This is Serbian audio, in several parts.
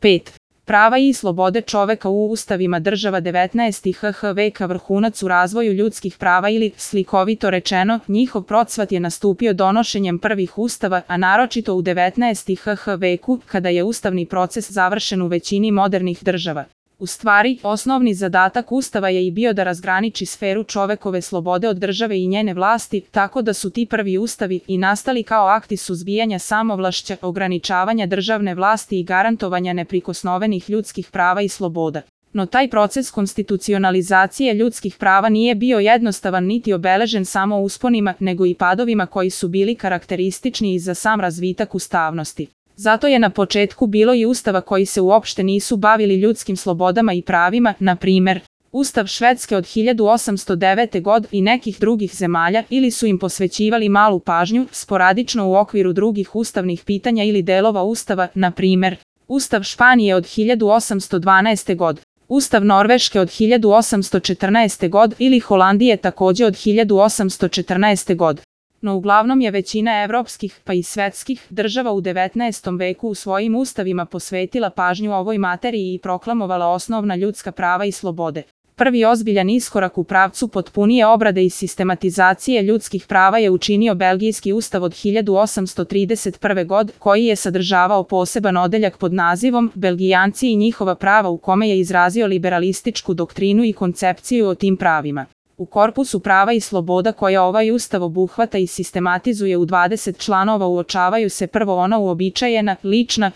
5. Prava i slobode čoveka u ustavima država 19. hh veka vrhunac u razvoju ljudskih prava ili, slikovito rečeno, njihov procvat je nastupio donošenjem prvih ustava, a naročito u 19. hh veku, kada je ustavni proces završen u većini modernih država. U stvari, osnovni zadatak Ustava je i bio da razgraniči sferu čovekove slobode od države i njene vlasti, tako da su ti prvi ustavi i nastali kao akti suzbijanja samovlašća, ograničavanja državne vlasti i garantovanja neprikosnovenih ljudskih prava i sloboda. No taj proces konstitucionalizacije ljudskih prava nije bio jednostavan niti obeležen samo usponima, nego i padovima koji su bili karakteristični i za sam razvitak ustavnosti. Zato je na početku bilo i ustava koji se uopšte nisu bavili ljudskim slobodama i pravima, na primer, Ustav Švedske od 1809. godine i nekih drugih zemalja, ili su im posvećivali malu pažnju, sporadično u okviru drugih ustavnih pitanja ili delova ustava, na primer, Ustav Španije od 1812. godine, Ustav Norveške od 1814. godine ili Holandije takođe od 1814. godine. No uglavnom je većina evropskih, pa i svetskih, država u 19. veku u svojim ustavima posvetila pažnju ovoj materiji i proklamovala osnovna ljudska prava i slobode. Prvi ozbiljan iskorak u pravcu potpunije obrade i sistematizacije ljudskih prava je učinio Belgijski ustav od 1831. godine, koji je sadržavao poseban odeljak pod nazivom Belgijanci i njihova prava, u kome je izrazio liberalističku doktrinu i koncepciju o tim pravima. U korpusu prava i sloboda koja ovaj ustav obuhvata i sistematizuje u 20 članova uočavaju se prvo ona uobičajena,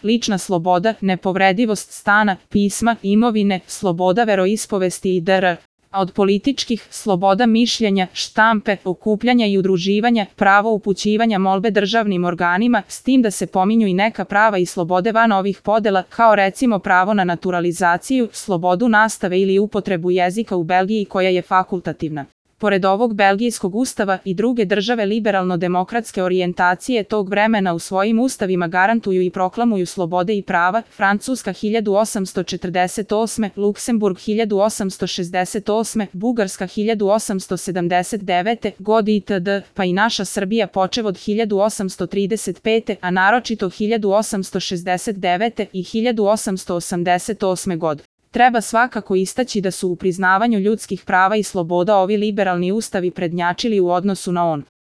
lična sloboda, nepovredivost stana, pisma, imovine, sloboda veroispovesti i dr. A od političkih, sloboda mišljenja, štampe, okupljanja i udruživanja, pravo upućivanja molbe državnim organima, s tim da se pominju i neka prava i slobode van ovih podela, kao recimo pravo na naturalizaciju, slobodu nastave ili upotrebu jezika u Belgiji koja je fakultativna. Pored ovog Belgijskog ustava i druge države liberalno-demokratske orijentacije tog vremena u svojim ustavima garantuju i proklamuju slobode i prava, Francuska 1848, Luksemburg 1868, Bugarska 1879. godine itd., pa i naša Srbija počev od 1835. a naročito 1869. i 1888. godine. Treba svakako istaći da su u priznavanju ljudskih prava i sloboda ovi liberalni ustavi prednjačili u odnosu na on.